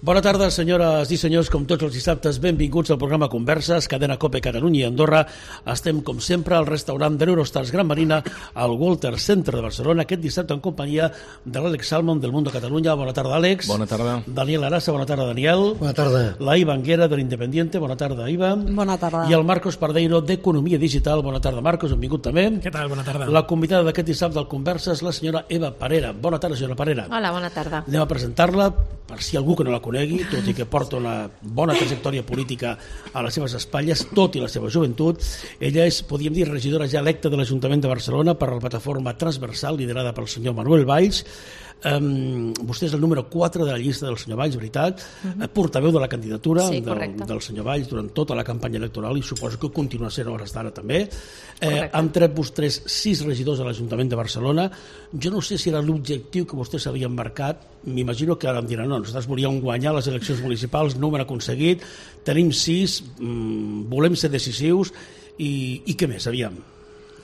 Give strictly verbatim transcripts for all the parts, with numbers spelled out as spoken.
Bona tarda, senyores i senyors, com tots els dissabtes, benvinguts al programa Converses, cadena COPE Catalunya i Andorra. Estem, com sempre, al restaurant de l'Eurostars Gran Marina, al Walter Center de Barcelona, aquest dissabte en companyia de l'Àlex Salmon del Mundo Catalunya. Bona tarda, Àlex. Bona tarda. Daniel Arasa, bona tarda, Daniel. Bona tarda. La Iva Anguera, de l'Independiente, bona tarda, Iva. Bona tarda. I el Marcos Pardeiro, d'Economia Digital. Bona tarda, Marcos, benvingut també. Què tal? Bona tarda. La convidada d'aquest dissabte al Converses, la senyora Eva Parera. Bona tarda, senyora Parera. Hola, bona tarda. Anem a presentar-la, per si algú que no la conegui, tot i que porta una bona trajectòria política a les seves espatlles, tot i la seva joventut. Ella és, podríem dir, regidora ja electa de l'Ajuntament de Barcelona per la plataforma transversal liderada pel senyor Manuel Valls. Um, vostè és el número quatre de la llista del senyor Valls, veritat, uh-huh. portaveu de la candidatura sí, del, del senyor Valls durant tota la campanya electoral i suposo que continua sent hores d'ara també. Eh, han tret vostès sis regidors a l'Ajuntament de Barcelona. Jo no sé si era l'objectiu que vostès s'havien marcat, m'imagino que ara em diran no, nosaltres volíem guanyar les eleccions municipals, no ho hem aconseguit, tenim sis, mmm, volem ser decisius i, i què més, aviam?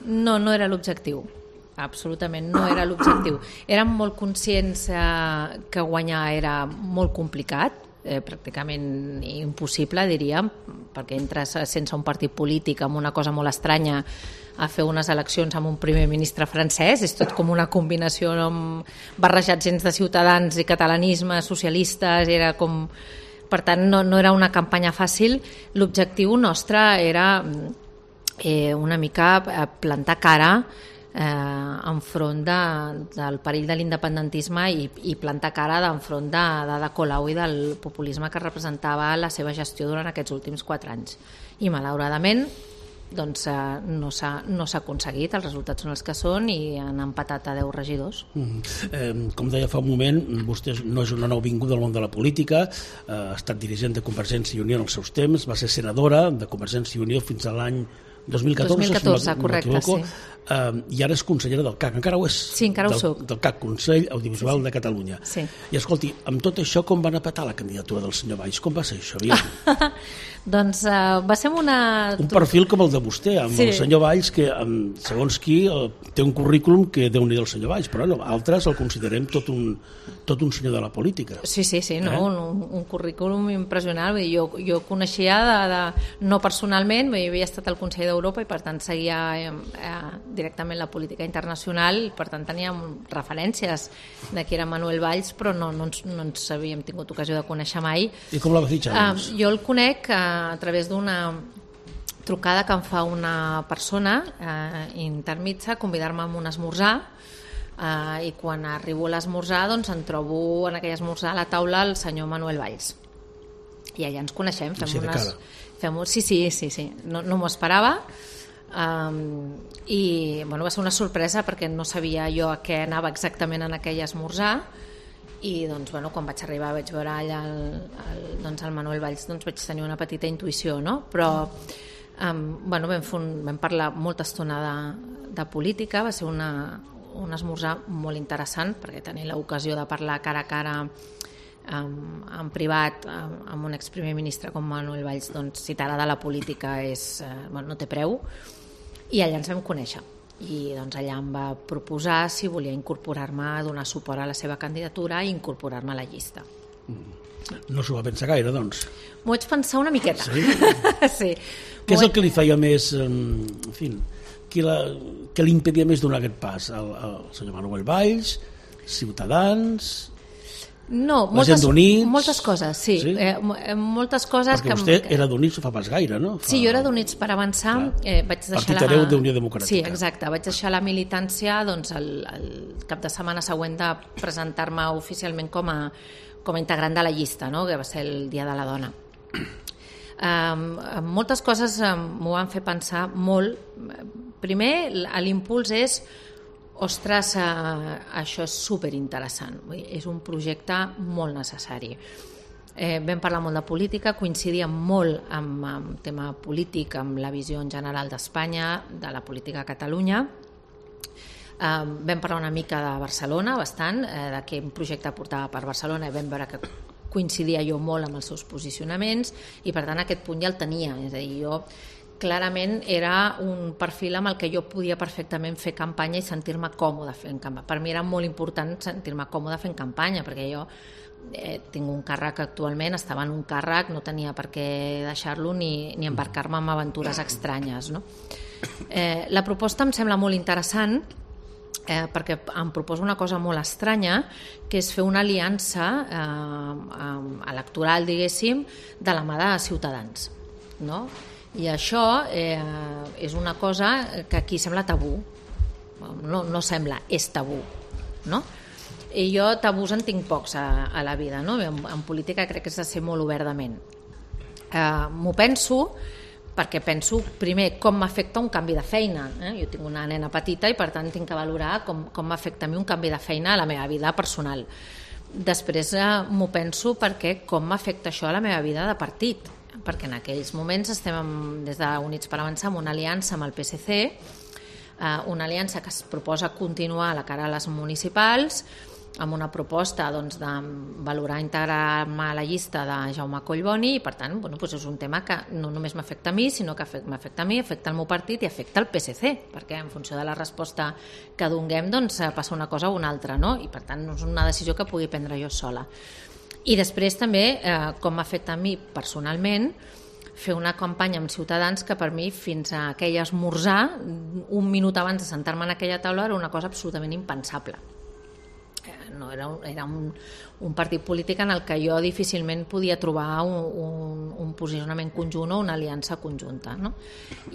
No, no era l'objectiu. Absolutament, no era l'objectiu. Érem molt conscients eh, que guanyar era molt complicat, eh, pràcticament impossible, diríem, perquè entres sense un partit polític amb una cosa molt estranya a fer unes eleccions amb un primer ministre francès, és tot com una combinació amb barrejats gens de ciutadans i catalanisme, socialistes, era com... Per tant, no, no era una campanya fàcil. L'objectiu nostre era eh, una mica plantar cara Eh, enfront de, del perill de l'independentisme i, i plantar cara d'enfront de, de, de Colau i del populisme que representava la seva gestió durant aquests últims quatre anys. I malauradament doncs, eh, no s'ha no s'ha aconseguit, els resultats són els que són i han empatat a deu regidors. Mm. Eh, com deia fa un moment, vostè no és una nouvinguda del món de la política, eh, ha estat dirigent de Convergència i Unió en els seus temps, va ser senadora de Convergència i Unió fins a l'any dos mil catorze, dos mil catorze, si correcte, sí. Uh, i ara és consellera del C A C, encara ho és? Sí, encara del, ho soc. Del C A C, Consell Audiovisual sí, sí. de Catalunya. Sí. I escolti, amb tot això com van a petar la candidatura del senyor Valls? Com va ser això? Doncs uh, va ser una... Un perfil com el de vostè, amb sí. el senyor Valls, que amb, segons qui uh, té un currículum que déu-n'hi-do el senyor Valls, però no, altres el considerem tot un, tot un senyor de la política. Sí, sí, sí, no, eh? un, un currículum impressionant. Jo, jo coneixia de, de, no personalment, havia estat al Consell d'Europa i per tant seguia eh, eh, directament la política internacional i per tant teníem referències de qui era Manuel Valls, però no, no, ens, no ens havíem tingut ocasió de conèixer mai. I com la va fitxar? Uh, jo el conec uh, a través d'una trucada que em fa una persona uh, intermitja, convidar-me a un esmorzar, uh, i quan arribo a l'esmorzar doncs em trobo en aquell esmorzar a la taula el senyor Manuel Valls. I allà ens coneixem, fem sí, unes... Fem... Sí, sí, sí, sí, no, no m'ho esperava. Um, i bueno, va ser una sorpresa perquè no sabia jo a què anava exactament en aquell esmorzar i doncs, bueno, quan vaig arribar vaig veure allà el, el, doncs, el Manuel Valls, doncs vaig tenir una petita intuïció, no? Però um, bueno, vam, un, vam parlar molta estona de, de política, va ser una, un esmorzar molt interessant perquè tenir l'ocasió de parlar cara a cara Um, en privat um, amb un exprimer ministre com Manuel Valls, doncs si t'agrada la política és, uh, bueno, no té preu, i allà ens vam conèixer i doncs allà em va proposar si volia incorporar-me, donar suport a la seva candidatura i incorporar-me a la llista. Mm. No s'ho va pensar gaire, doncs? M'ho vaig pensar una miqueta. Sí? Sí. Què és el que li feia més, en fi, que, la, que li impedia més donar aquest pas? El, el senyor Manuel Valls, Ciutadans... No, la moltes, gent d'Units... moltes coses, sí. sí? Eh, moltes coses perquè que... vostè era d'Units fa pas gaire, no? Fa... Sí, jo era d'Units per avançar. Eh, vaig deixar Partit hereu la... d'Unió Democràtica. Sí, exacte. Vaig deixar la militància doncs, el, el cap de setmana següent de presentar-me oficialment com a, com a integrant de la llista, no? Que va ser el Dia de la Dona. Um, moltes coses um, m'ho van fer pensar molt. Primer, l'impuls és ostres, eh, això és superinteressant, és un projecte molt necessari. Eh, vam parlar molt de política, coincidíem molt amb el tema polític, amb la visió en general d'Espanya, de la política a Catalunya. Eh, vam parlar una mica de Barcelona, bastant, eh, de quin projecte portava per Barcelona, i vam veure que coincidia jo molt amb els seus posicionaments, i per tant aquest punt ja el tenia, és a dir, jo clarament era un perfil amb el que jo podia perfectament fer campanya i sentir-me còmode fent campanya. Per mi era molt important sentir-me còmode fent campanya, perquè jo eh, tinc un càrrec actualment, estava en un càrrec, no tenia per què deixar-lo ni, ni embarcar-me en aventures estranyes, no? Eh, la proposta em sembla molt interessant eh, perquè em proposa una cosa molt estranya, que és fer una aliança eh, electoral, diguéssim, de la mà de Ciutadans, no? I això eh, és una cosa que aquí sembla tabú, no, no sembla, és tabú, no? I jo tabús en tinc pocs a, a la vida, no? En, en política crec que s'ha de ser molt obertament. Eh, m'ho penso perquè penso primer com m'afecta un canvi de feina, eh? Jo tinc una nena petita i per tant tinc que valorar com, com m'afecta a mi un canvi de feina a la meva vida personal. Després eh, m'ho penso perquè com m'afecta això a la meva vida de partit, perquè en aquells moments estem amb, des d'Units per Avançar amb una aliança amb el P S C, eh, una aliança que es proposa continuar a la cara a les municipals, amb una proposta doncs, de valorar integrar-me a la llista de Jaume Collboni, i per tant bueno, doncs és un tema que no només m'afecta a mi, sinó que m'afecta a mi, afecta el meu partit i afecta el P S C, perquè en funció de la resposta que donguem doncs, passa una cosa o una altra, no? I per tant no és una decisió que pugui prendre jo sola. I després també, eh, com m'afecta a mi personalment, fer una campanya amb Ciutadans que per mi fins a aquell esmorzar, un minut abans de sentar-me en aquella taula, era una cosa absolutament impensable. No, era un, era un, un partit polític en el que jo difícilment podia trobar un, un, un posicionament conjunt o una aliança conjunta, no?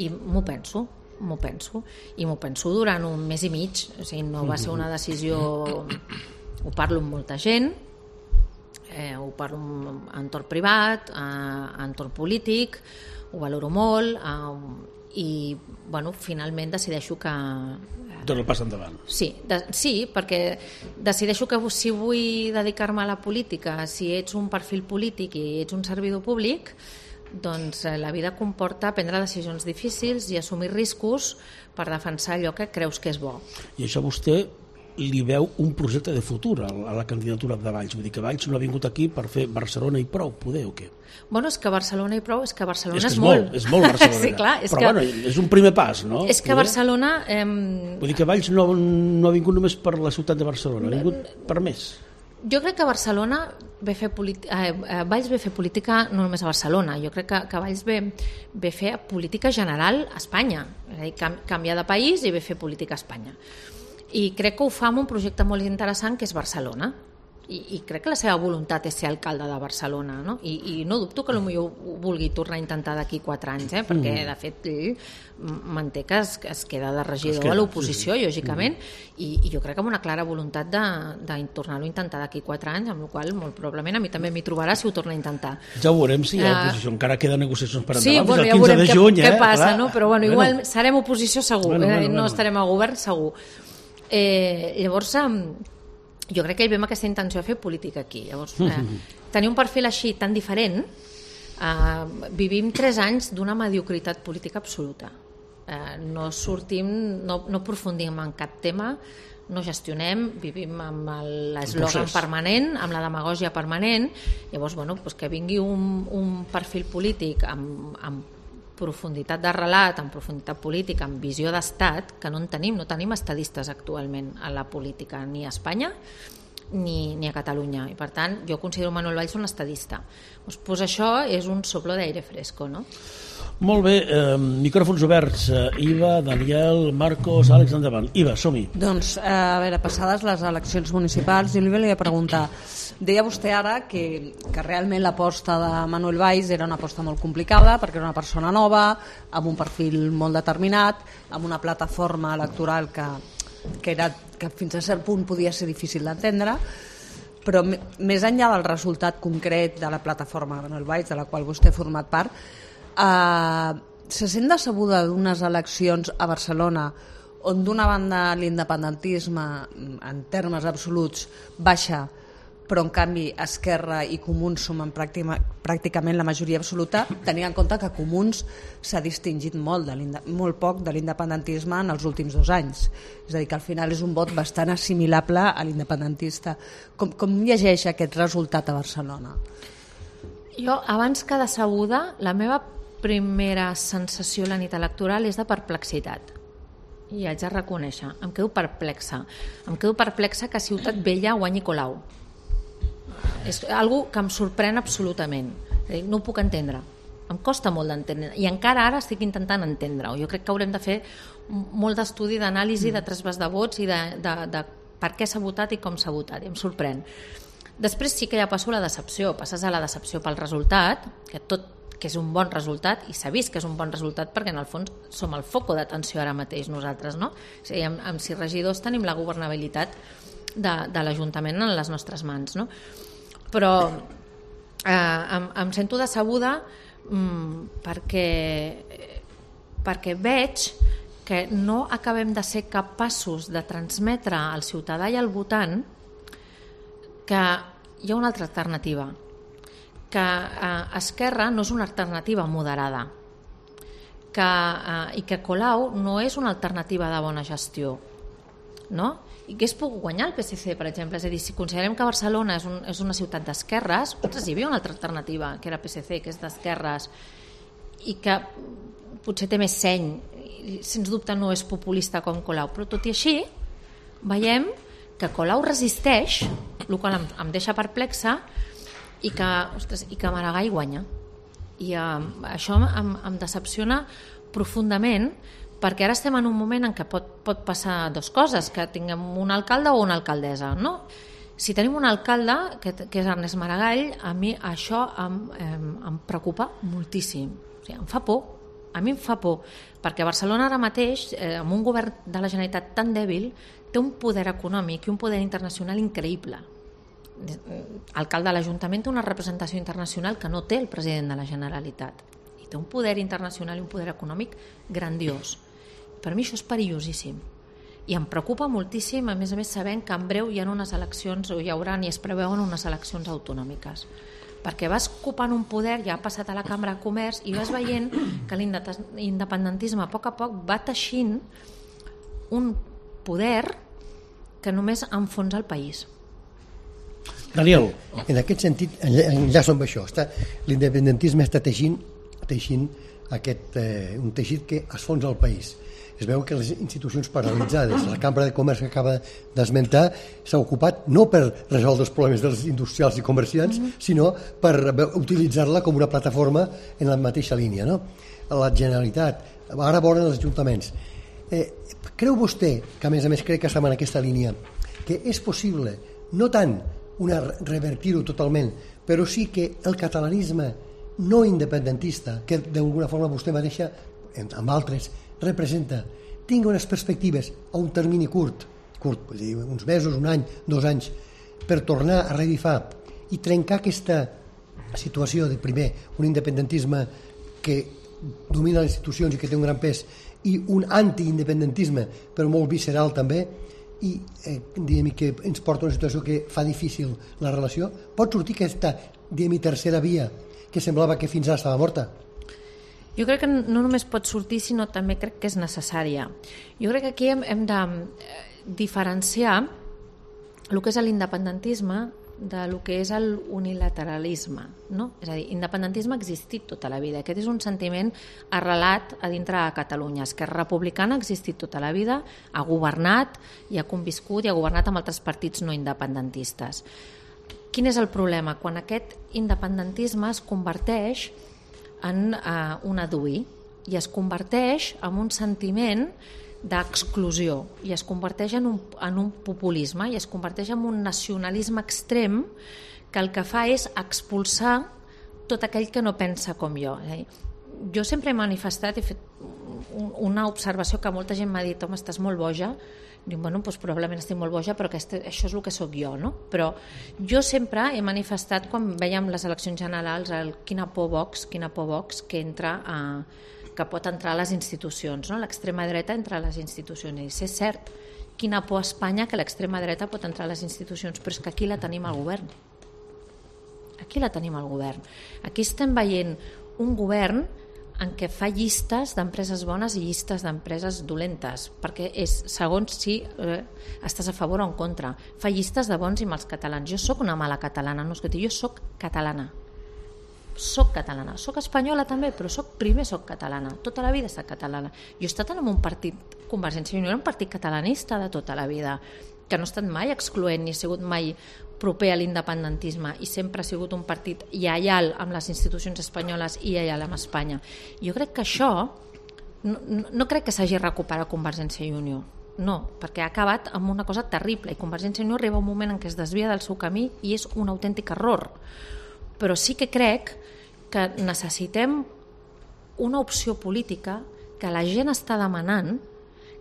I m'ho penso, m'ho penso, i m'ho penso durant un mes i mig, o sigui, no va ser una decisió, ho parlo amb molta gent, eh, ho parlo en entorn privat, en entorn polític, ho valoro molt, eh, i bueno, finalment decideixo que donar el pas endavant. Sí, de, sí, perquè decideixo que si vull dedicar-me a la política, si ets un perfil polític i ets un servidor públic, doncs la vida comporta prendre decisions difícils i assumir riscos per defensar allò que creus que és bo. I això vostè li veu un projecte de futur a la candidatura de Valls? Vull dir que Valls no ha vingut aquí per fer Barcelona i prou, poder o què? Bueno, és que Barcelona i prou, és que Barcelona és, és, és molt. molt. És molt Barcelona. Sí, clar, és però que... bueno, és un primer pas, no? És que Barcelona... Eh... Vull dir que Valls no, no ha vingut només per la ciutat de Barcelona, ha vingut per més. Jo crec que Barcelona ve fer política, eh, Valls ve fer política no només a Barcelona, jo crec que, que Valls ve, ve fer política general a Espanya, és a dir, canviar de país i ve fer política a Espanya. I crec que ho fa amb un projecte molt interessant que és Barcelona. I, i crec que la seva voluntat és ser alcalde de Barcelona, no? I, i no dubto que potser ho vulgui tornar a intentar d'aquí quatre anys, eh? Perquè de fet ell manté que es, que es queda de regidor queda, a l'oposició, sí, sí. lògicament, mm. i, i jo crec que amb una clara voluntat de, de tornar-ho a intentar d'aquí quatre anys, amb la qual molt probablement a mi també m'hi trobarà si ho torna a intentar. Ja ho veurem si hi ha oposició, uh, encara queden negociacions per endavant, sí, bueno, fins al quinze de juny, què, eh? què passa, Clar. No? Però bueno, igual bueno. serem oposició segur, bueno, eh? bueno, no bueno. estarem a govern segur. Eh, llavors, jo crec que ell ve amb aquesta intenció de fer política aquí. Llavors, eh, tenir un perfil així tan diferent, eh, vivim tres anys d'una mediocritat política absoluta. Eh, no sortim, no, no aprofundim en cap tema, no gestionem, vivim amb l'eslògan permanent, amb la demagògia permanent. Llavors, bueno, doncs que vingui un, un perfil polític amb, amb profunditat de relat, amb profunditat política, amb visió d'estat, que no en tenim, no tenim estadistes actualment a la política, ni a Espanya ni, ni a Catalunya, i per tant jo considero Manuel Valls un estadista. Doncs, doncs això és un soplo d'aire fresco, no? Molt bé, eh, micròfons oberts, eh, Iva, Daniel, Marcos, Àlex, endavant. Iva, som-hi. Doncs, eh, a veure, passades les eleccions municipals, jo li volia preguntar, deia vostè ara que, que realment l'aposta de Manuel Valls era una aposta molt complicada perquè era una persona nova, amb un perfil molt determinat, amb una plataforma electoral que, que, era, que fins a cert punt podia ser difícil d'entendre, però més enllà del resultat concret de la plataforma Manuel Valls, de la qual vostè ha format part, eh, se sent decebuda d'unes eleccions a Barcelona on d'una banda l'independentisme en termes absoluts baixa, però en canvi Esquerra i Comuns sumen pràcticament la majoria absoluta, tenint en compte que Comuns s'ha distingit molt, de molt poc de l'independentisme en els últims dos anys. És a dir, que al final és un vot bastant assimilable a l'independentista. Com, com llegeix aquest resultat a Barcelona? Jo, abans que decebuda, la meva primera sensació la nit electoral és de perplexitat. I haig de reconèixer, em quedo perplexa. Em quedo perplexa que Ciutat Vella guanyi Colau. És algo que em sorprèn absolutament. No ho puc entendre. Em costa molt d'entendre. I encara ara estic intentant entendre-ho. Jo crec que haurem de fer molt d'estudi, d'anàlisi, de trasbàs de vots i de, de, de per què s'ha votat i com s'ha votat. I em sorprèn. Després sí que ja passo a la decepció. Passes a la decepció pel resultat, que tot que és un bon resultat, i s'ha vist que és un bon resultat perquè en el fons som el foco d'atenció ara mateix nosaltres, no? O sigui, amb, amb sis regidors tenim la governabilitat de, de l'Ajuntament en les nostres mans, no? Però eh, em, em sento decebuda mm, perquè, perquè veig que no acabem de ser capaços de transmetre al ciutadà i al votant que hi ha una altra alternativa, que eh, Esquerra no és una alternativa moderada, que, eh, i que Colau no és una alternativa de bona gestió, no? I que és pogut guanyar el P S C, per exemple. És a dir, si considerem que Barcelona és, un, és una ciutat d'esquerres, ostres, hi havia una altra alternativa, que era P S C, que és d'esquerres, i que potser té més seny, i, sens dubte no és populista com Colau, però tot i així veiem que Colau resisteix, el qual em, em deixa perplexa, i que, ostres, i que Maragall guanya. I eh, això em, em decepciona profundament, perquè ara estem en un moment en què pot, pot passar dues coses, que tinguem un alcalde o una alcaldessa, no? Si tenim un alcalde, que, que és Ernest Maragall, a mi això em, em, em preocupa moltíssim. O sigui, em fa por, a mi em fa por, perquè Barcelona ara mateix, eh, amb un govern de la Generalitat tan dèbil, té un poder econòmic i un poder internacional increïble. L'alcalde de l'Ajuntament té una representació internacional que no té el president de la Generalitat, i té un poder internacional i un poder econòmic grandiós. Per mi això és perillosíssim i em preocupa moltíssim, a més a més sabent que en breu hi ha unes eleccions, o hi haurà i es preveuen unes eleccions autonòmiques, perquè vas ocupant un poder, ja ha passat a la Cambra de Comerç, i vas veient que l'independentisme a poc a poc va teixint un poder que només enfonsa el país. Daniel. En aquest sentit, enllaço amb això. L'independentisme està teixint, teixint aquest, eh, un teixit que esfonsa el país. Es veu que les institucions paralitzades, la Cambra de Comerç que acaba d'esmentar, s'ha ocupat no per resoldre els problemes dels industrials i comerciants, mm-hmm. sinó per utilitzar-la com una plataforma en la mateixa línia, no? La Generalitat, ara volen els ajuntaments. Eh, creu vostè, que a més a més crec que estem en aquesta línia, que és possible, no tant una revertir-ho totalment, però sí que el catalanisme no independentista, que d'alguna forma vostè mateixa, amb altres, representa, tingui unes perspectives a un termini curt, curt, vull dir, uns mesos, un any, dos anys, per tornar a revifar i trencar aquesta situació de, primer, un independentisme que domina les institucions i que té un gran pes, i un antiindependentisme, però molt visceral també, i eh, diguem, que ens porta a una situació que fa difícil la relació. Pot sortir aquesta diguem, tercera via que semblava que fins ara estava morta? Jo crec que no només pot sortir, sinó també crec que és necessària. Jo crec que aquí hem, hem de diferenciar el que és l'independentisme de lo que és l'unilateralisme, no? És a dir, independentisme ha existit tota la vida. Aquest és un sentiment arrelat a dintre de Catalunya. Esquerra Republicana ha existit tota la vida, ha governat i ha conviscut i ha governat amb altres partits no independentistes. Quin és el problema? Quan aquest independentisme es converteix en uh, un adui i es converteix en un sentiment d'exclusió i es converteix en un, en un populisme i es converteix en un nacionalisme extrem que el que fa és expulsar tot aquell que no pensa com jo. Jo sempre he manifestat, he fet una observació que molta gent m'ha dit, home, estàs molt boja. Dic, bueno, doncs probablement estic molt boja, però aquest, això és el que sóc jo, no? Però jo sempre he manifestat, quan veiem les eleccions generals, el quina por Vox, quina por Vox que entra a que pot entrar a les institucions, no? L'extrema dreta entra a les institucions. I és cert, quina por a Espanya que l'extrema dreta pot entrar a les institucions, però és que aquí la tenim al govern. Aquí la tenim al govern. Aquí estem veient un govern en què fa llistes d'empreses bones i llistes d'empreses dolentes, perquè és segons si eh, estàs a favor o en contra. Fa llistes de bons i mals catalans. Jo sóc una mala catalana, no escolti, jo sóc catalana. soc catalana, soc espanyola també, però soc, primer soc catalana, tota la vida he estat catalana. Jo he estat en un partit, Convergència i Unió era un partit catalanista de tota la vida, que no ha estat mai excloent ni ha sigut mai proper a l'independentisme i sempre ha sigut un partit lleial amb les institucions espanyoles i lleial amb Espanya. Jo crec que això no, no, no crec que s'hagi recuperat Convergència i Unió, no, perquè ha acabat amb una cosa terrible i Convergència i Unió arriba un moment en què es desvia del seu camí i és un autèntic error. Però sí que crec que necessitem una opció política que la gent està demanant,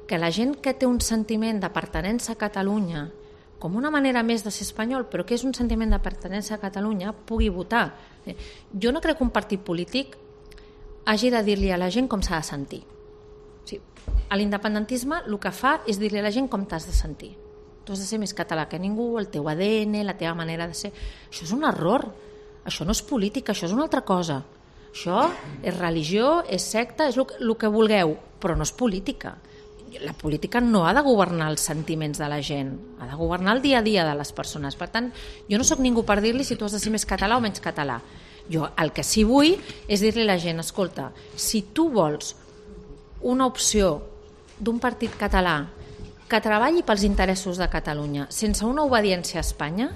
que la gent que té un sentiment de pertinença a Catalunya com una manera més de ser espanyol, però que és un sentiment de pertinença a Catalunya, pugui votar. Jo no crec que un partit polític hagi de dir-li a la gent com s'ha de sentir. O sigui, a l'independentisme el que fa és dir-li a la gent com t'has de sentir. Tu has de ser més català que ningú, el teu A D N, la teva manera de ser... Això és un error. Això no és política, això és una altra cosa. Això és religió, és secta, és el que vulgueu, però no és política. La política no ha de governar els sentiments de la gent, ha de governar el dia a dia de les persones. Per tant, jo no sóc ningú per dir-li si tu has de ser més català o menys català. Jo el que sí vull és dir-li a la gent, escolta, si tu vols una opció d'un partit català que treballi pels interessos de Catalunya sense una obediència a Espanya,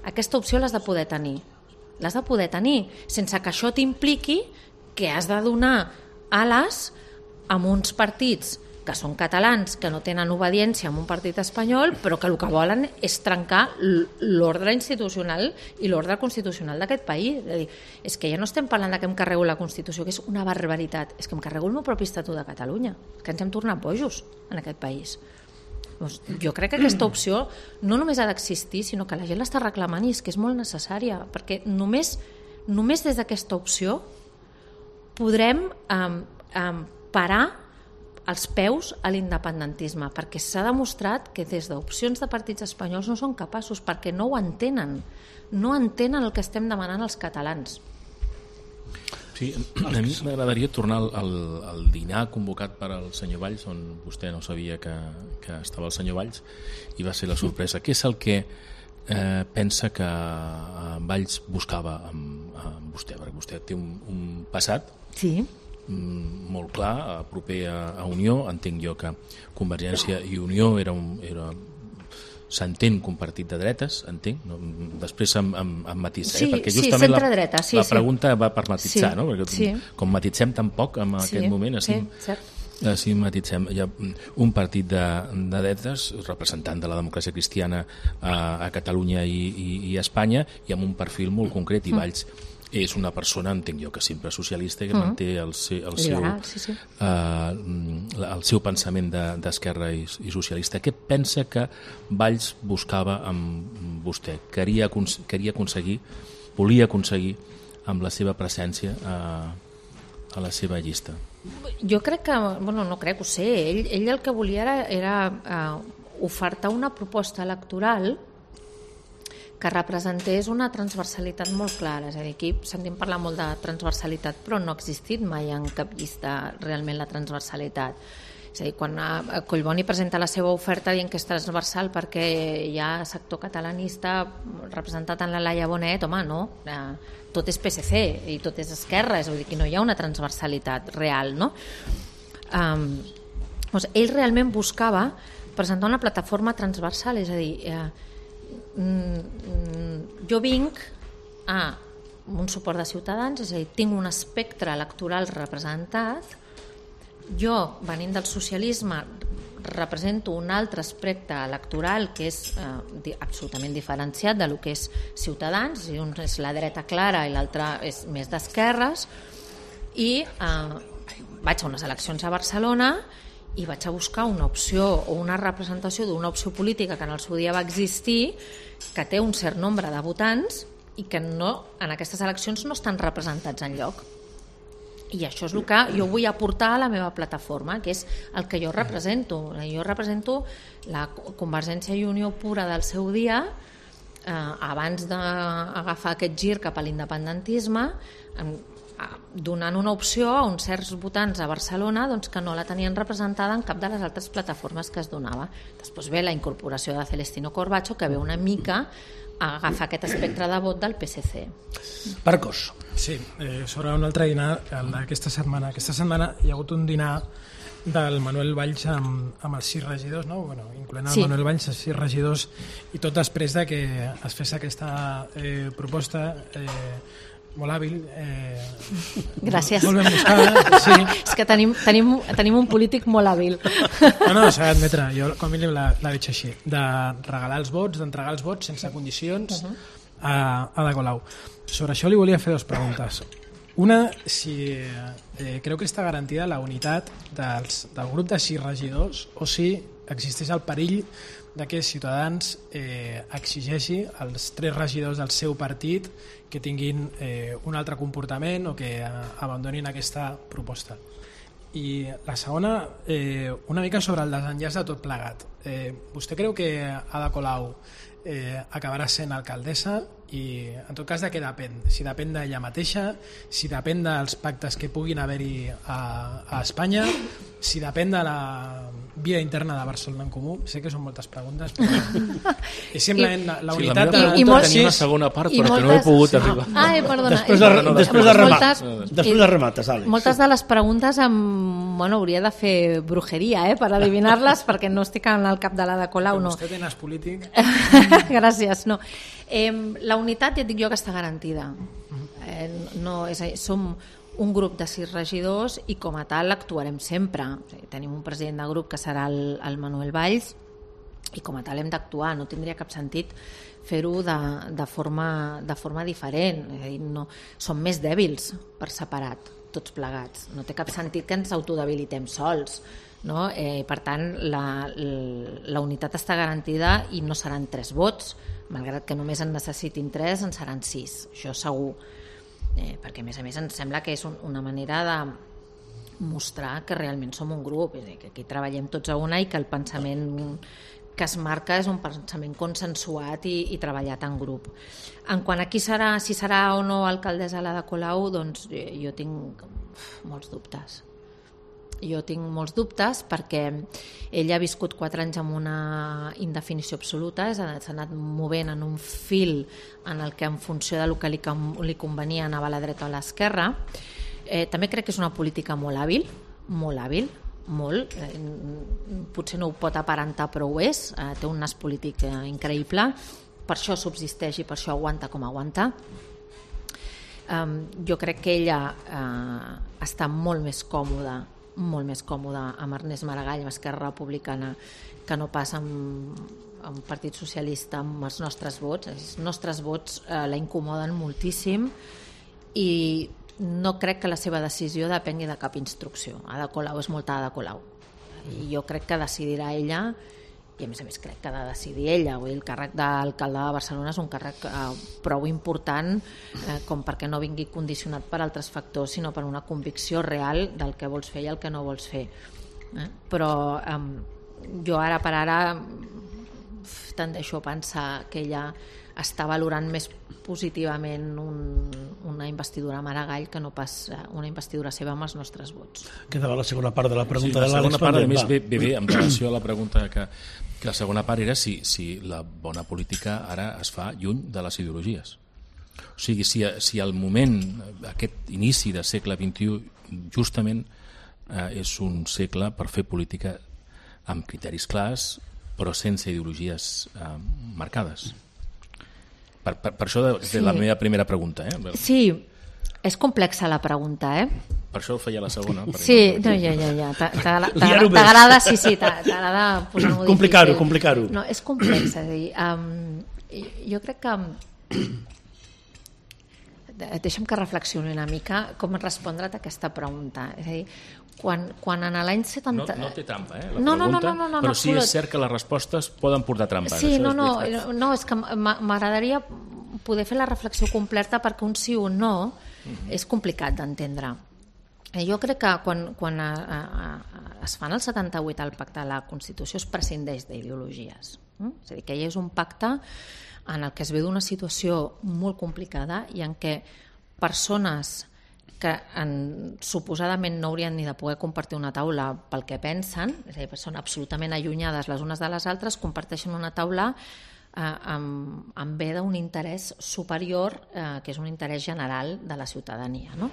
aquesta opció l'has de poder tenir. L'has de poder tenir, sense que això t'impliqui que has de donar ales a uns partits que són catalans, que no tenen obediència a un partit espanyol, però que el que volen és trencar l'ordre institucional i l'ordre constitucional d'aquest país. És a dir, és que ja no estem parlant de que em carrego la Constitució, que és una barbaritat, és que em carrego el meu propi Estatut de Catalunya, que ens hem tornat bojos en aquest país. Doncs jo crec que aquesta opció no només ha d'existir, sinó que la gent l'està reclamant i és que és molt necessària, perquè només, només des d'aquesta opció podrem um, um, parar els peus a l'independentisme, perquè s'ha demostrat que des d'opcions de partits espanyols no són capaços, perquè no ho entenen, no entenen el que estem demanant als catalans. Sí, a mi m'agradaria tornar al, al, al dinar convocat per al senyor Valls, on vostè no sabia que, que estava el senyor Valls, i va ser la sorpresa. Què és el que eh, pensa que Valls buscava amb, amb vostè? Perquè vostè té un, un passat... Sí. molt clar, proper a, a Unió. Entenc jo que Convergència i Unió era un, era, s'entén que un partit de dretes, entenc, no? Després em, em, em matisa, sí, eh? Perquè sí, justament la, dreta, sí, la pregunta sí. va per matitzar, sí, no? Perquè sí. Com matitzem tampoc en aquest sí, moment, així, sí, així matitzem. Hi ha un partit de, de dretes, representant de la democràcia cristiana a, a Catalunya i, i, i a Espanya, i amb un perfil molt concret, i Valls és una persona, entenc jo, que sempre socialista i que mm. manté el, seu, el, seu, Liberal, sí, sí. Uh, el seu pensament d'esquerra de, i, i socialista. Què pensa que Valls buscava amb vostè? Queria, queria aconseguir, volia aconseguir amb la seva presència a, a la seva llista? Jo crec que, bueno, no crec, ho sé, ell, ell el que volia era, era uh, ofertar una proposta electoral que representés una transversalitat molt clara. És a dir, aquí sentim parlar molt de transversalitat, però no ha existit mai en cap llista realment la transversalitat. És a dir, quan Collboni presenta la seva oferta dient que és transversal perquè hi ha sector catalanista representat en la Laia Bonet, home, no, tot és P S C i tot és esquerra, és a dir, que no hi ha una transversalitat real, no? Um, doncs ell realment buscava presentar una plataforma transversal, és a dir, eh, jo vinc a un suport de Ciutadans, és a dir, tinc un espectre electoral representat, jo, venint del socialisme, represento un altre espectre electoral que és eh, absolutament diferenciat de lo que és Ciutadans, és a dir, un és la dreta clara i l'altre és més d'esquerres, i eh, vaig a unes eleccions a Barcelona i vaig a buscar una opció o una representació d'una opció política que en el seu dia va existir, que té un cert nombre de votants i que no, en aquestes eleccions no estan representats enlloc. I això és el que jo vull aportar a la meva plataforma, que és el que jo represento. Jo represento la Convergència i Unió pura del seu dia, eh, abans d'agafar aquest gir cap a l'independentisme, donant una opció a uns certs votants a Barcelona doncs, que no la tenien representada en cap de les altres plataformes que es donava. Després ve la incorporació de Celestino Corbacho, que ve una mica a agafar aquest espectre de vot del P S C. Marcos. Sí, eh, sobre un altre dinar d'aquesta setmana. Aquesta setmana hi ha hagut un dinar del Manuel Valls amb, amb els sis regidors, no? Bueno, incloent el sí. Manuel Valls, els sis regidors, i tot després de que es fes aquesta eh, proposta eh, molt hàbil. Eh, Gràcies. Molt ben buscada. Sí. És que tenim, tenim, tenim un polític molt hàbil. No, no, s'ha d'admetre, jo com a mínim la, la veig així, de regalar els vots, d'entregar els vots sense condicions uh -huh. a, a Ada Colau. Sobre això li volia fer dues preguntes. Una, si eh, creu que està garantida la unitat dels, del grup de sis regidors o si existeix el perill de que Ciutadans eh, exigeixi als tres regidors del seu partit que tinguin eh, un altre comportament o que eh, abandonin aquesta proposta. I la segona, eh, una mica sobre el desenllaç de tot plegat. Eh, vostè creu que Ada Colau eh, acabarà sent alcaldessa i en tot cas de què depèn? Si depèn d'ella mateixa, si depèn dels pactes que puguin haver-hi a, a Espanya, si depèn de la via interna de Barcelona en Comú. Sé que són moltes preguntes, però és simplement la, la unitat... Sí, la meva pregunta tenia una segona part, però moltes... que no he pogut arribar. Ah, eh, perdona. Després de, no, després de remates, després de remates, Àlex. Moltes de les preguntes amb, bueno, hauria de fer brujeria, eh, per adivinar-les, perquè no estic en el cap de l'Ada Colau, no. Vostè té nas polític. Gràcies, no. Eh, la unitat, ja et dic jo, que està garantida. Eh, no, és, som un grup de sis regidors i com a tal actuarem sempre. O sigui, tenim un president de grup que serà el, el Manuel Valls i com a tal hem d'actuar. No tindria cap sentit fer-ho de, de, forma, de forma diferent. És a dir, no, som més dèbils per separat, tots plegats. No té cap sentit que ens autodebilitem sols. No? Eh, per tant, la, la, la unitat està garantida i no seran tres vots, malgrat que només en necessitin tres, en seran sis, això segur. Eh, perquè a més a més ens sembla que és un, una manera de mostrar que realment som un grup, és a dir, que aquí treballem tots a una i que el pensament que es marca és un pensament consensuat i, i treballat en grup. En quant a qui serà, si serà o no alcaldessa l'Ada Colau, doncs jo tinc molts dubtes. Jo tinc molts dubtes perquè ella ha viscut quatre anys amb una indefinició absoluta, s'ha anat movent en un fil en el que en funció del que li, li convenia anava a la dreta o a l'esquerra. Eh, també crec que és una política molt hàbil, molt hàbil, molt. Eh, potser no ho pot aparentar però ho és, eh, té un nas polític eh, increïble, per això subsisteix i per això aguanta com aguanta. Um, jo crec que ella eh, està molt més còmoda molt més còmode amb Ernest Maragall, amb Esquerra Republicana, que no pas amb, amb Partit Socialista, amb els nostres vots. Els nostres vots eh, la incomoden moltíssim i no crec que la seva decisió depengui de cap instrucció. Ada Colau és molta Ada Colau. I jo crec que decidirà ella, i a més a més crec que ha de decidir ella. Vull dir, el càrrec d'alcalde de Barcelona és un càrrec eh, prou important eh, com perquè no vingui condicionat per altres factors, sinó per una convicció real del que vols fer i el que no vols fer. Eh? Però eh, jo ara per ara tendeixo a pensar que ella està valorant més positivament un, una investidura a Maragall que no pas una investidura seva amb els nostres vots. Quedava la segona part de la pregunta sí, de l'Àlex. La segona part, a més, ve, ve bé en relació a la pregunta que, que la segona part era si, si la bona política ara es fa lluny de les ideologies. O sigui, si, si al moment, aquest inici del segle vint-i-u, justament eh, és un segle per fer política amb criteris clars, però sense ideologies eh, marcades. Per, per, per això és sí. la meva primera pregunta. Eh? Sí, és complexa la pregunta, eh? Per això ho feia la segona. Sí, no, ja, ja, ja. T'agrada, sí, sí, t'agrada posar-m'ho difícil. Complicar-ho, complicar-ho. No, és complexa, és a dir, um, jo crec que deixa'm que reflexioni una mica com respondre't a aquesta pregunta. És a dir, quan, quan en l'any setanta... No, no té trampa, eh, la no, pregunta, no, no, no, no, però no, sí és cert que les respostes poden portar trampa. Sí, això no, és no, no, és que m'agradaria poder fer la reflexió completa perquè un sí o un no uh-huh. és complicat d'entendre. Jo crec que quan, quan a, a, a, es fan el setanta-vuit al pacte de la Constitució es prescindeix d'ideologies. Eh? És a dir, que hi és un pacte en el que es ve d'una situació molt complicada i en què persones que en, suposadament no haurien ni de poder compartir una taula pel que pensen, és a dir, són absolutament allunyades les unes de les altres, comparteixen una taula amb, amb ve d'un interès superior, eh, que és un interès general de la ciutadania, no?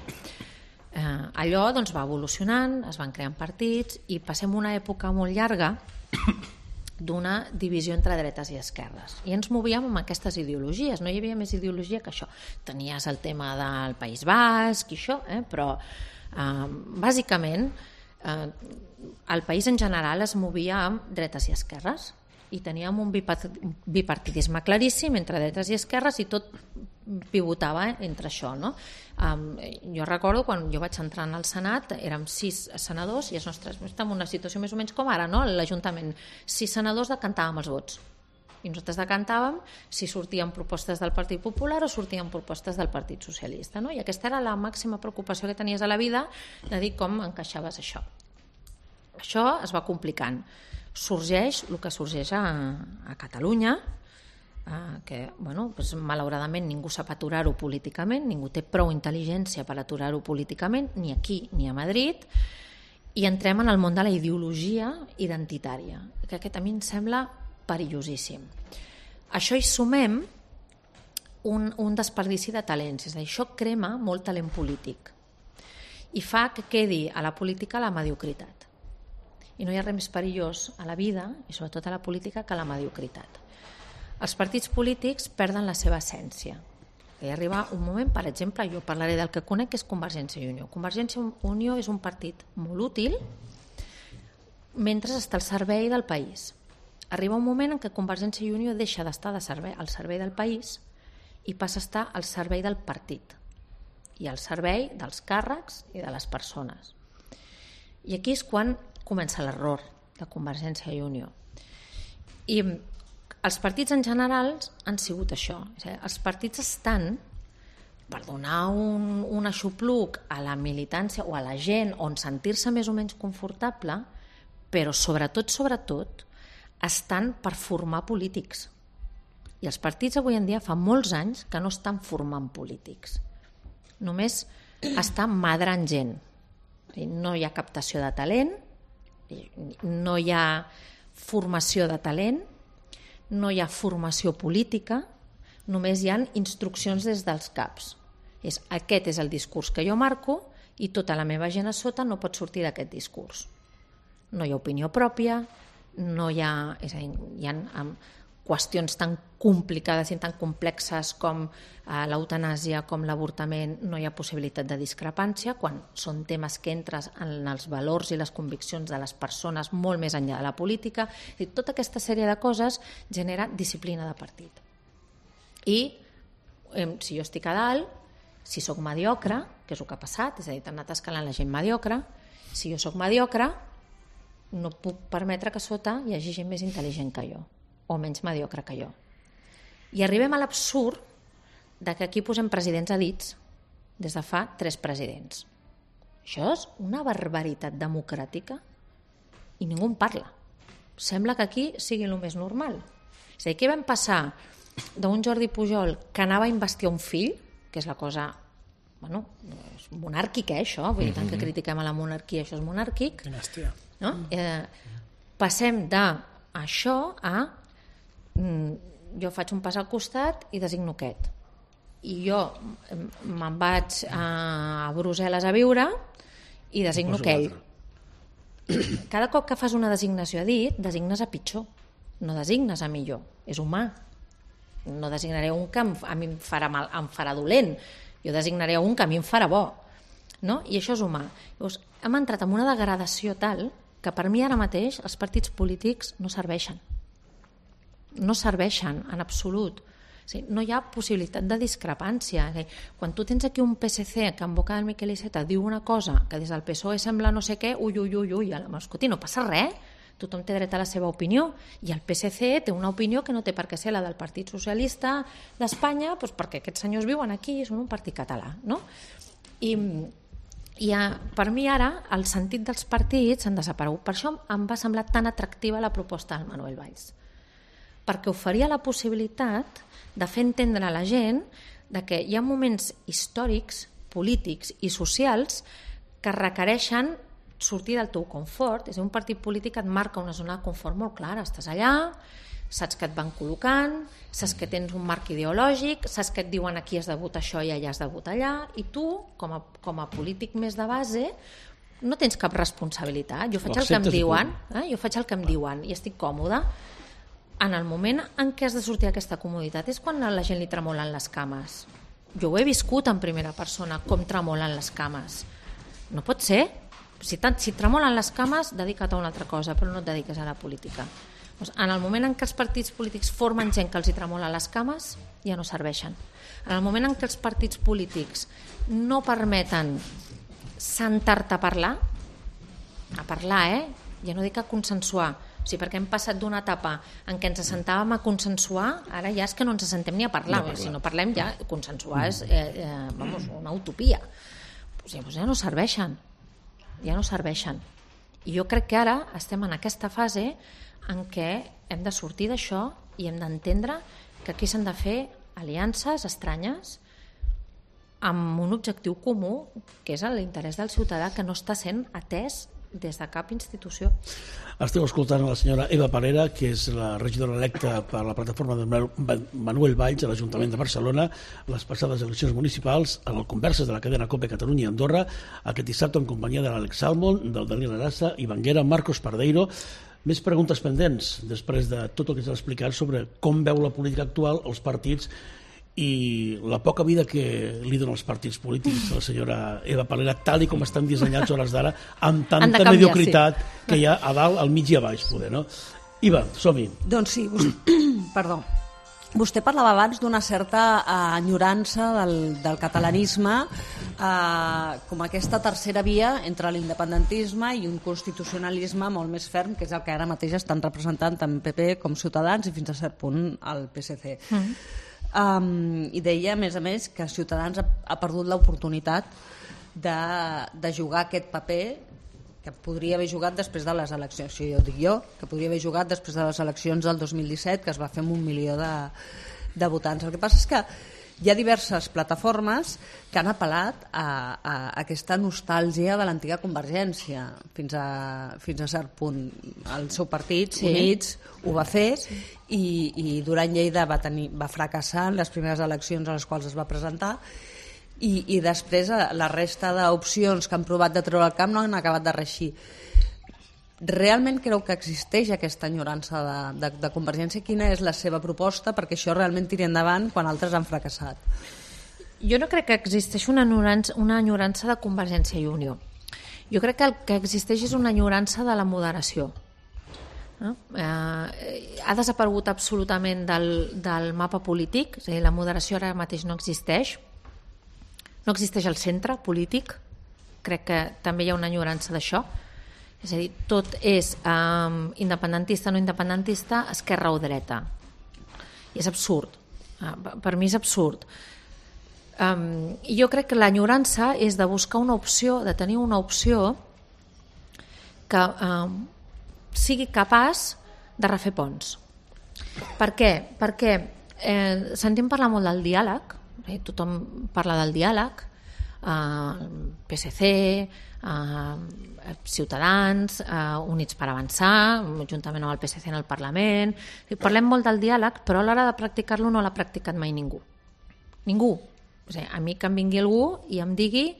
Eh, allò doncs, va evolucionant, es van creant partits i passem una època molt llarga d'una divisió entre dretes i esquerres. I ens movíem amb aquestes ideologies, no hi havia més ideologia que això. Tenies el tema del País Basc i això, eh? però eh, bàsicament eh, el país en general es movia amb dretes i esquerres i teníem un bipartidisme claríssim entre dretes i esquerres i tot pivotava entre això, no? Um, jo recordo quan jo vaig entrar al Senat érem sis senadors i els nostres, estem en una situació més o menys com ara, no? L'Ajuntament, sis senadors decantàvem els vots i nosaltres decantàvem si sortien propostes del Partit Popular o sortien propostes del Partit Socialista, no? I aquesta era la màxima preocupació que tenies a la vida, de dir com encaixaves això. Això es va complicant. Sorgeix el que sorgeix a, a Catalunya, Uh, que bueno, pues, malauradament ningú sap aturar-ho políticament, ningú té prou intel·ligència per aturar-ho políticament, ni aquí ni a Madrid, i entrem en el món de la ideologia identitària, que aquest a mi em sembla perillosíssim. Això hi sumem un, un desperdici de talents, és a dir, això crema molt talent polític i fa que quedi a la política la mediocritat. I no hi ha res més perillós a la vida, i sobretot a la política, que la mediocritat. Els partits polítics perden la seva essència. Hi arriba un moment, per exemple, jo parlaré del que conec, que és Convergència i Unió. Convergència i Unió és un partit molt útil mentre està al servei del país. Arriba un moment en què Convergència i Unió deixa d'estar de servei, al servei del país i passa a estar al servei del partit i al servei dels càrrecs i de les persones. I aquí és quan comença l'error de Convergència i Unió. I els partits en general han sigut això. És a dir, els partits estan per donar un, un aixopluc a la militància o a la gent on sentir-se més o menys confortable, però sobretot, sobretot, estan per formar polítics. I els partits avui en dia fa molts anys que no estan formant polítics. Només estan madrant gent. No hi ha captació de talent, no hi ha formació de talent, no hi ha formació política, només hi ha instruccions des dels caps. És, aquest és el discurs que jo marco i tota la meva gent a sota no pot sortir d'aquest discurs. No hi ha opinió pròpia, no hi ha, és a dir, hi ha um, qüestions tan complicades i tan complexes com uh, l'eutanàsia, com l'avortament, no hi ha possibilitat de discrepància, quan són temes que entres en els valors i les conviccions de les persones molt més enllà de la política. I tota aquesta sèrie de coses genera disciplina de partit. I eh, si jo estic a dalt, si sóc mediocre, que és el que ha passat, és a dir, t'han anat escalant la gent mediocre, si jo sóc mediocre, no puc permetre que sota hi hagi gent més intel·ligent que jo o menys mediocre que jo. I arribem a l'absurd de que aquí posem presidents a dits des de fa tres presidents. Això és una barbaritat democràtica i ningú en parla. Sembla que aquí sigui el més normal. És a dir, què vam passar d'un Jordi Pujol que anava a investir un fill, que és la cosa, bueno, és monàrquica, eh, això, vull dir, tant que critiquem a la monarquia, això és monàrquic. Dinastia. No? Eh, passem d'això a jo faig un pas al costat i designo aquest. I jo me'n vaig a Brussel·les a viure i designo aquell. Cada cop que fas una designació a dit, designes a pitjor, no designes a millor. És humà. No designaré un que a mi em farà, mal, em farà dolent. Jo designaré un que a mi em farà bo. No? I això és humà. Llavors, hem entrat en una degradació tal que per mi ara mateix els partits polítics no serveixen. No serveixen en absolut. O sigui, no hi ha possibilitat de discrepància. Quan tu tens aquí un P S C que en boca del Miquel Iceta diu una cosa que des del P S O E sembla no sé què, ui, ui, ui, ui, escolti, no passa res, tothom té dret a la seva opinió, i el P S C té una opinió que no té per què ser la del Partit Socialista d'Espanya, doncs perquè aquests senyors viuen aquí i són un partit català, no? I, i a, per mi ara el sentit dels partits han desaparegut. Per això em va semblar tan atractiva la proposta del Manuel Valls, perquè oferia la possibilitat de fer entendre a la gent de que hi ha moments històrics, polítics i socials que requereixen sortir del teu confort. És a dir, un partit polític et marca una zona de confort molt clara. Estàs allà, saps que et van col·locant, saps que tens un marc ideològic, saps que et diuen aquí has de votar això i allà has de votar allà, i tu, com a, com a polític més de base, no tens cap responsabilitat. Jo faig el que em diuen, eh? jo faig el que em diuen i estic còmoda. En el moment en què has de sortir aquesta comoditat és quan a la gent li tremolen les cames. Jo ho he viscut en primera persona, com tremolen les cames. No pot ser. Si, tant, si tremolen les cames, dedica't a una altra cosa, però no et dediques a la política. Doncs en el moment en què els partits polítics formen gent que els hi tremola les cames, ja no serveixen. En el moment en què els partits polítics no permeten sentar-te a parlar, a parlar, eh? Ja no dic a consensuar, o sigui, perquè hem passat d'una etapa en què ens assentàvem a consensuar, ara ja és que no ens assentem ni a parlar, no parlar. Si no parlem ja, consensuar és eh, eh, vamos, una utopia. O sigui, doncs ja no serveixen, ja no serveixen. I jo crec que ara estem en aquesta fase en què hem de sortir d'això i hem d'entendre que aquí s'han de fer aliances estranyes amb un objectiu comú, que és l'interès del ciutadà, que no està sent atès des de cap institució. Esteu escoltant a la senyora Eva Parera, que és la regidora electa per la plataforma de Manuel Valls a l'Ajuntament de Barcelona, les passades eleccions municipals, a les converses de la cadena COPE Catalunya i Andorra, aquest dissabte en companyia de l'Àlex Salmon, del Daniel Arassa, Ivan Guera, Marcos Pardeiro. Més preguntes pendents, després de tot el que s'ha explicat sobre com veu la política actual, els partits i la poca vida que li donen els partits polítics a la senyora Eva Parera, tal i com estan dissenyats hores d'ara, amb tanta canviar, mediocritat sí. que hi ha a dalt, al mig i a baix, poder, no? Iva, som-hi. Doncs sí, vostè, perdó. Vostè parlava abans d'una certa uh, enyorança del, del catalanisme uh, com aquesta tercera via entre l'independentisme i un constitucionalisme molt més ferm, que és el que ara mateix estan representant tant P P com Ciutadans i fins a cert punt el P S C. Mm-hmm. Um, i deia a més a més que Ciutadans ha, ha perdut l'oportunitat de, de jugar aquest paper que podria haver jugat després de les eleccions, això jo dic jo, que podria haver jugat després de les eleccions del dos mil disset, que es va fer amb un milió de, de votants. El que passa és que hi ha diverses plataformes que han apel·lat a, a aquesta nostàlgia de l'antiga Convergència fins a, fins a cert punt. El seu partit, sí. Units, ho va fer i, i Duran Lleida va, tenir, va fracassar en les primeres eleccions a les quals es va presentar i, i després la resta d'opcions que han provat de treure el camp no han acabat de reeixir. Realment creu que existeix aquesta enyorança de, de, de Convergència? Quina és la seva proposta perquè això realment tiri endavant quan altres han fracassat? Jo no crec que existeixi una enyorança, una enyorança de Convergència i Unió. Jo crec que el que existeix és una enyorança de la moderació. No? Eh, ha desaparegut absolutament del, del mapa polític, és a dir, la moderació ara mateix no existeix. No existeix el centre polític. Crec que també hi ha una enyorança d'això. És a dir, tot és um, independentista, no independentista, esquerra o dreta. I és absurd. Uh, per mi és absurd. Um, I jo crec que l'enyorança és de buscar una opció, de tenir una opció que um, sigui capaç de refer ponts. Per què? Perquè eh, sentim parlar molt del diàleg, eh, tothom parla del diàleg, eh, P S C, eh, Ciutadans, eh, Units per Avançar, juntament amb el P S C en el Parlament. Parlem molt del diàleg, però a l'hora de practicar-lo no l'ha practicat mai ningú. Ningú. O sigui, a mi que em vingui algú i em digui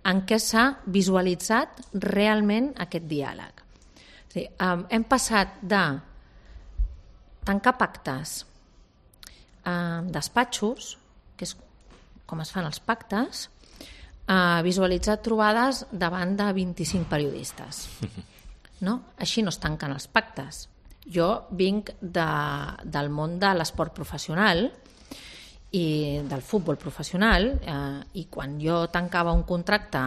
en què s'ha visualitzat realment aquest diàleg. O sigui, eh, hem passat de tancar pactes eh, despatxos, que és com es fan els pactes, a visualitzar trobades davant de vint-i-cinc periodistes. No? Així no es tanquen els pactes. Jo vinc de, del món de l'esport professional i del futbol professional eh, i quan jo tancava un contracte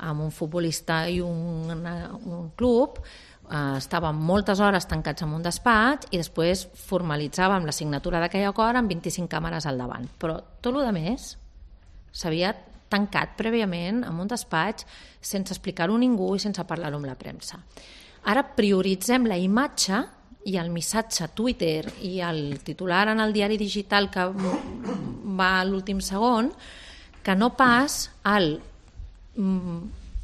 amb un futbolista i un, un club eh, estàvem moltes hores tancats en un despatx i després formalitzàvem la signatura d'aquell acord amb vint-i-cinc càmeres al davant. Però tot el més s'havia tancat prèviament en un despatx sense explicar-ho a ningú i sense parlar-ho amb la premsa. Ara prioritzem la imatge i el missatge a Twitter i el titular en el diari digital que va a l'últim segon, que no pas el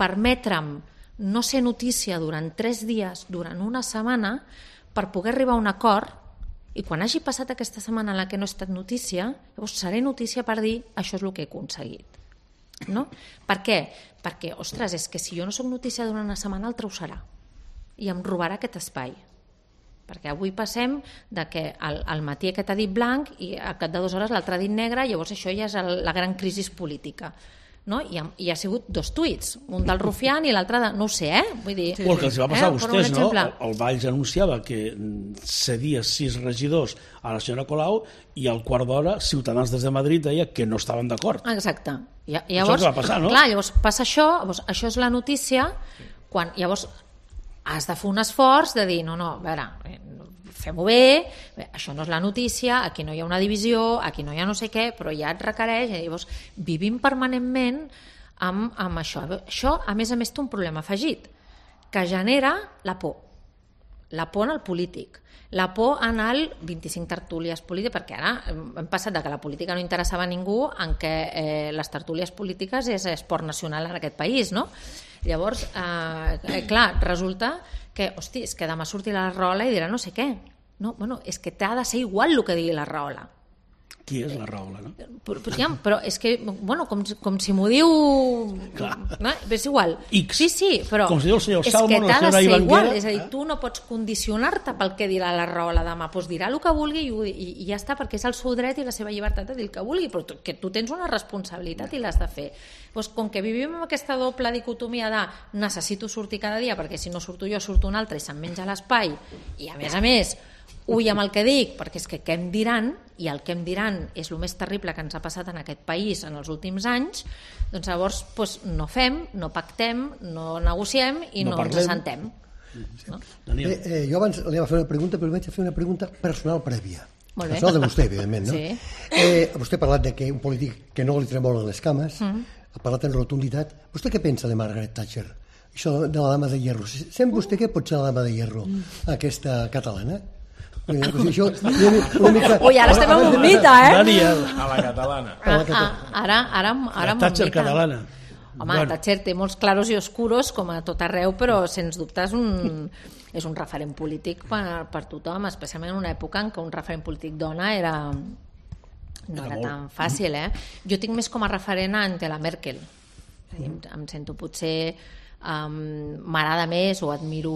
permetre'm no ser notícia durant tres dies, durant una setmana, per poder arribar a un acord I quan hagi passat aquesta setmana en la que no he estat notícia, llavors seré notícia per dir això és el que he aconseguit. No? Per què? Perquè, ostres, és que si jo no soc notícia durant una setmana, altra ho serà. I em robarà aquest espai. Perquè avui passem de que al, al matí aquest ha dit blanc i al cap de dues hores l'altre ha dit negre, llavors això ja és el, la gran crisi política. No? I, ha, I ha sigut dos tuits, un del Rufián i l'altre de... no ho sé, eh? Vull dir, o el que els va passar eh? a vostès, no? El, el Valls anunciava que cedia sis regidors a la senyora Colau i al quart d'hora Ciutadans des de Madrid deia que no estaven d'acord. Exacte. I, llavors, això va passar, no? Clar, llavors passa això, llavors, això és la notícia, quan llavors has de fer un esforç de dir, no, no, a veure, fem-ho bé, bé, això no és la notícia, aquí no hi ha una divisió, aquí no hi ha no sé què, però ja et requereix, i llavors vivim permanentment amb, amb això. Això, a més a més, té un problema afegit, que genera la por, la por en el polític, la por en el vint-i-cinc tertúlies polítiques, perquè ara hem passat de que la política no interessava a ningú en què eh, les tertúlies polítiques és esport nacional en aquest país, no? Llavors, eh, clar, resulta que, hosti, és que demà sortirà la Rahola i dirà no sé què. No, bueno, és que t'ha de ser igual el que digui la Rahola. Qui és la Rahola, no? Però, però, però és que, bueno, com, com si m'ho diu... No? És igual. X. Sí, sí, però com si diu el senyor és Salmon, que t'ha la de ser senyora igual. Ivanguera. És a dir, tu no pots condicionar-te pel que dirà la Rahola demà. Doncs dirà el que vulgui i, i, i ja està, perquè és el seu dret i la seva llibertat de dir el que vulgui, però tu, que tu tens una responsabilitat i l'has de fer. Doncs com que vivim amb aquesta doble dicotomia de necessito sortir cada dia perquè si no surto jo surto un altre i se'm menja l'espai i a més a més ull amb el que dic, perquè és que què em diran, i el que em diran és el més terrible que ens ha passat en aquest país en els últims anys, doncs llavors doncs, no fem, no pactem, no negociem i no, no ens assentem. Sí. No? Eh, eh, jo abans li vaig fer una pregunta, però vaig fer una pregunta personal prèvia. Molt bé. Personal de vostè, evidentment, no? Sí. Eh, vostè ha parlat de que un polític que no li tremolen les cames, mm. ha parlat en rotunditat. Vostè què pensa de Margaret Thatcher? Això de la dama de hierro. Sent vostè què pot ser la dama de hierro, aquesta catalana? Això, una mica... Ui, ara estem en un mite, eh? Daniel. A la catalana. Ah, ah, ara, ara, ara la Thatcher catalana. Home, bueno. Thatcher té molts claros i oscuros, com a tot arreu, però sens dubte és un, és un referent polític per, per tothom, especialment en una època en què un referent polític dona era, no era, era tan fàcil, eh? Jo tinc més com a referent a Angela Merkel. Em, em sento potser... Um, m'agrada més o admiro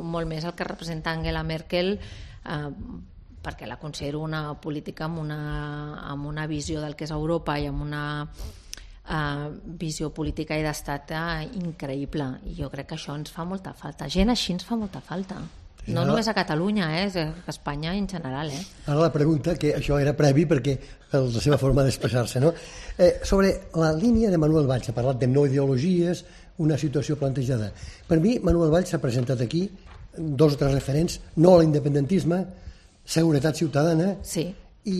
molt més el que representa Angela Merkel uh, perquè la considero una política amb una, amb una visió del que és Europa i amb una uh, visió política i d'estat uh, increïble, i jo crec que això ens fa molta falta, gent així ens fa molta falta, no ara, només a Catalunya, eh, a Espanya en general. Eh. Ara la pregunta, que això era previ perquè la seva forma d'expressar-se, no? Eh, sobre la línia de Manuel Valls, ha parlat de no ideologies, una situació plantejada. Per mi, Manuel Valls s'ha presentat aquí dos o tres referents, no a l'independentisme, seguretat ciutadana, sí. i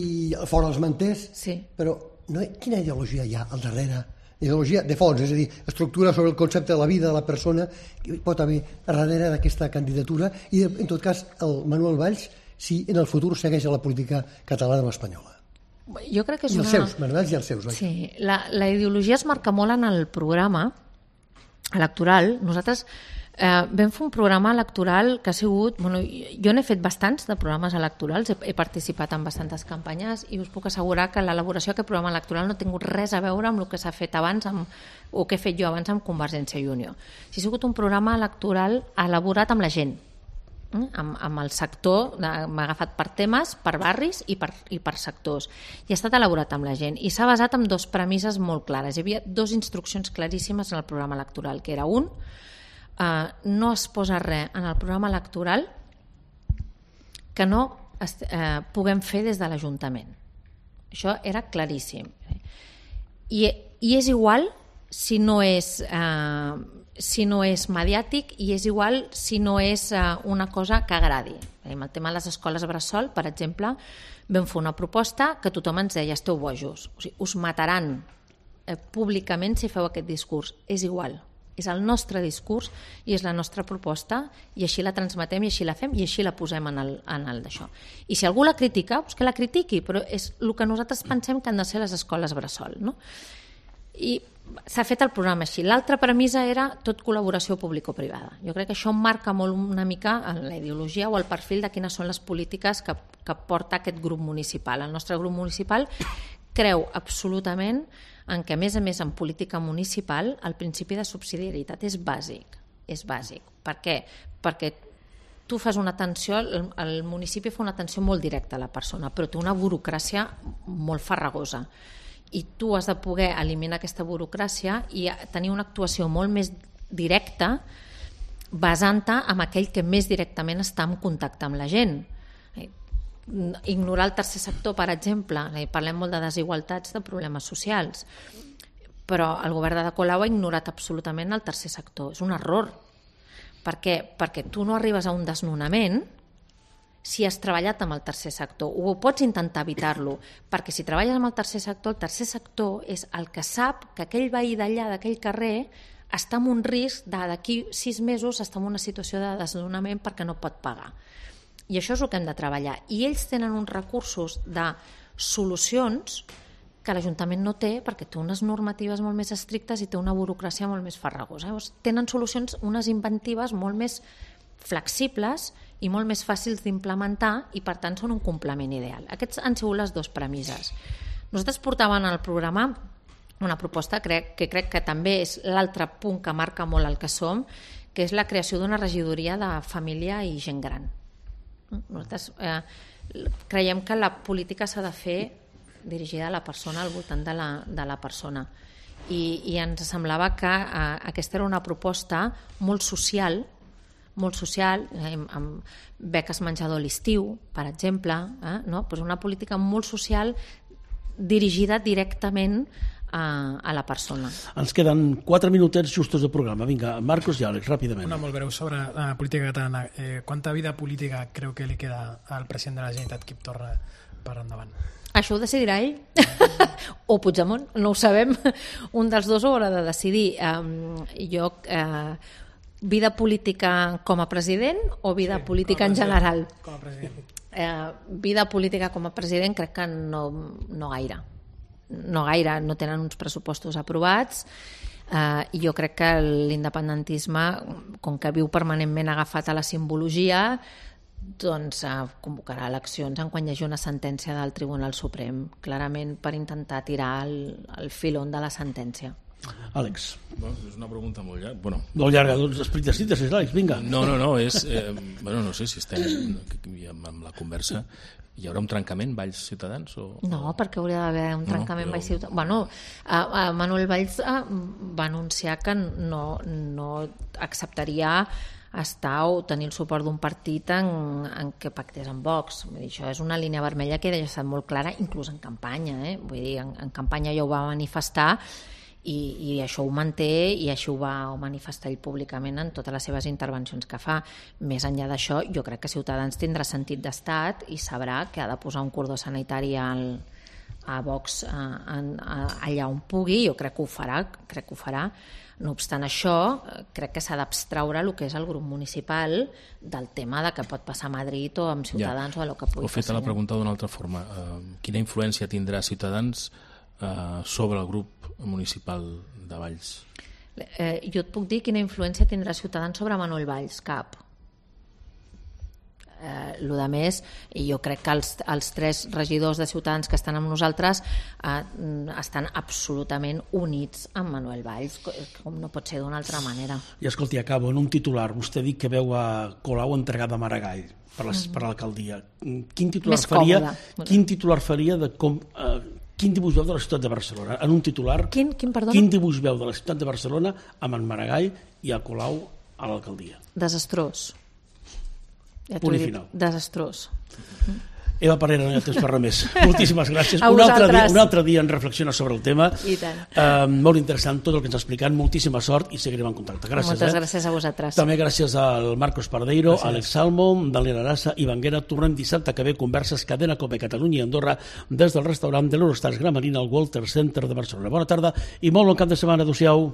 fora els manters, sí. però no, quina ideologia hi ha al darrere? Ideologia de fons, és a dir, estructura sobre el concepte de la vida de la persona que pot haver darrere d'aquesta candidatura, i en tot cas el Manuel Valls, si en el futur segueix a la política catalana o espanyola. Jo crec que és I els una... seus, Manuel Valls i els seus. Oi? Sí, la, la ideologia es marca molt en el programa electoral. Nosaltres eh, vam fer un programa electoral que ha sigut... Bueno, jo n'he fet bastants de programes electorals, he, he participat en bastantes campanyes i us puc assegurar que l'elaboració d'aquest programa electoral no ha tingut res a veure amb el que s'ha fet abans amb, o que he fet jo abans amb Convergència i Unió. Ha sigut un programa electoral elaborat amb la gent, eh? amb, amb el sector, m'ha agafat per temes, per barris i per, i per sectors, i ha estat elaborat amb la gent i s'ha basat en dos premisses molt clares. Hi havia dues instruccions claríssimes en el programa electoral, que era un, eh, no es posa res en el programa electoral que no es, eh, puguem fer des de l'Ajuntament. Això era claríssim, i, i és igual si no és eh, si no és mediàtic, i és igual si no és uh, una cosa que agradi. Amb el tema de les escoles bressol, per exemple, vam fer una proposta que tothom ens deia, esteu bojos, o sigui, us mataran eh, públicament si feu aquest discurs. És igual, és el nostre discurs i és la nostra proposta, i així la transmetem i així la fem i així la posem en el, en el d'això. I si algú la critica, doncs que la critiqui, però és el que nosaltres pensem que han de ser les escoles bressol, no? I s'ha fet el programa així. L'altra premissa era tot col·laboració público-privada. Jo crec que això marca molt una mica en la ideologia o el perfil de quines són les polítiques que, que porta aquest grup municipal. El nostre grup municipal creu absolutament en què, a més a més, en política municipal el principi de subsidiarietat és bàsic. És bàsic. Per què? Perquè tu fas una atenció, el, el municipi fa una atenció molt directa a la persona, però té una burocràcia molt farragosa. I tu has de poder eliminar aquesta burocràcia i tenir una actuació molt més directa basant-te en aquell que més directament està en contacte amb la gent. Ignorar el tercer sector, per exemple, parlem molt de desigualtats, de problemes socials, però el govern de Ada Colau ha ignorat absolutament el tercer sector. És un error. Per què? Perquè tu no arribes a un desnonament si has treballat amb el tercer sector, o pots intentar evitar-lo, perquè si treballes amb el tercer sector, el tercer sector és el que sap que aquell veí d'allà, d'aquell carrer, està en un risc de d'aquí sis mesos està en una situació de desnonament perquè no pot pagar. I això és el que hem de treballar. I ells tenen uns recursos de solucions que l'Ajuntament no té, perquè té unes normatives molt més estrictes i té una burocràcia molt més farragosa. Llavors, tenen solucions, unes inventives molt més flexibles i molt més fàcils d'implementar i per tant són un complement ideal. Aquests han sigut les dues premisses. Nosaltres portàvem al programa una proposta crec, que crec que també és l'altre punt que marca molt el que som, que és la creació d'una regidoria de família i gent gran. Nosaltres eh, creiem que la política s'ha de fer dirigida a la persona, al voltant de la, de la persona. I, i ens semblava que eh, aquesta era una proposta molt social, molt social, amb, amb beques menjador a l'estiu, per exemple, eh? no? Pues una política molt social dirigida directament a, a la persona. Ens queden quatre minutets justos de programa. Vinga, Marcos i Àlex, ràpidament. Una molt breu sobre la política catalana. Eh, quanta vida política creu que li queda al president de la Generalitat, Quim Torra, per endavant? Això ho decidirà ell o Puigdemont, no ho sabem. Un dels dos ho haurà de decidir. Um, jo... Eh, vida política com a president o vida sí, política en general? Com a president. Eh, vida política com a president crec que no, no gaire. No gaire, no tenen uns pressupostos aprovats eh, i jo crec que l'independentisme, com que viu permanentment agafat a la simbologia, doncs eh, convocarà eleccions en quan hi hagi una sentència del Tribunal Suprem, clarament per intentar tirar el, el filon de la sentència. Àlex. Bueno, és una pregunta molt llarga. Bueno, molt llarga, doncs explica síntesi, Àlex, vinga. No, no, no, és... Eh, bueno, no sé si estem amb la conversa. Hi haurà un trencament, Valls Ciutadans? O... No, perquè hauria d'haver un trencament no, però... Valls Ciutadans. Bueno, eh, eh, Manuel Valls eh, va anunciar que no, no acceptaria estar o tenir el suport d'un partit en, en què pactés amb Vox. Vull dir, això és una línia vermella que ja ha estat molt clara, inclús en campanya. Eh? Vull dir, en, en campanya ja ho va manifestar i, i això ho manté i això ho va manifestar ell públicament en totes les seves intervencions que fa. Més enllà d'això, jo crec que Ciutadans tindrà sentit d'estat i sabrà que ha de posar un cordó sanitari al, a Vox a, a, a, allà on pugui. Jo crec que ho farà, crec que ho farà. No obstant això, crec que s'ha d'abstraure el que és el grup municipal del tema de què pot passar a Madrid o amb Ciutadans ja. O el que pugui passar. Ho fet a la pregunta d'una altra forma. Uh, quina influència tindrà Ciutadans uh, sobre el grup municipal de Valls? Eh, jo et puc dir quina influència tindrà Ciutadans sobre Manuel Valls. Cap. Eh, lo de més, i jo crec que els, els tres regidors de Ciutadans que estan amb nosaltres eh, estan absolutament units amb Manuel Valls, com no pot ser d'una altra manera. I escolti, acabo en un titular. Vostè diu que veu a Colau entregada a Maragall per l'alcaldia. Quin titular Més faria? Còmode. Quin titular faria de com... Eh, quin dibuix veu de la ciutat de Barcelona? En un titular, quin, quin, quin dibuix veu de la ciutat de Barcelona amb en Maragall i a Colau a l'alcaldia? Desastrós. Ja Punt i final. Desastrós. Eva Parera, no hi ha temps per res més. Moltíssimes gràcies. A un, altre dia, vosaltres. un altre dia en reflexiona sobre el tema. I tant. Uh, molt interessant tot el que ens ha explicat. Moltíssima sort i seguirem en contacte. Gràcies. Moltes eh? gràcies a vosaltres. També gràcies al Marcos Pardeiro, gràcies. Àlex Salmo, Daniel Arassa i Vanguera. Tornem dissabte que ve converses Cadena Cope Catalunya i Andorra des del restaurant de l'Eurostars Gramarina al Walter Center de Barcelona. Bona tarda i molt bon cap de setmana. Adéu-siau.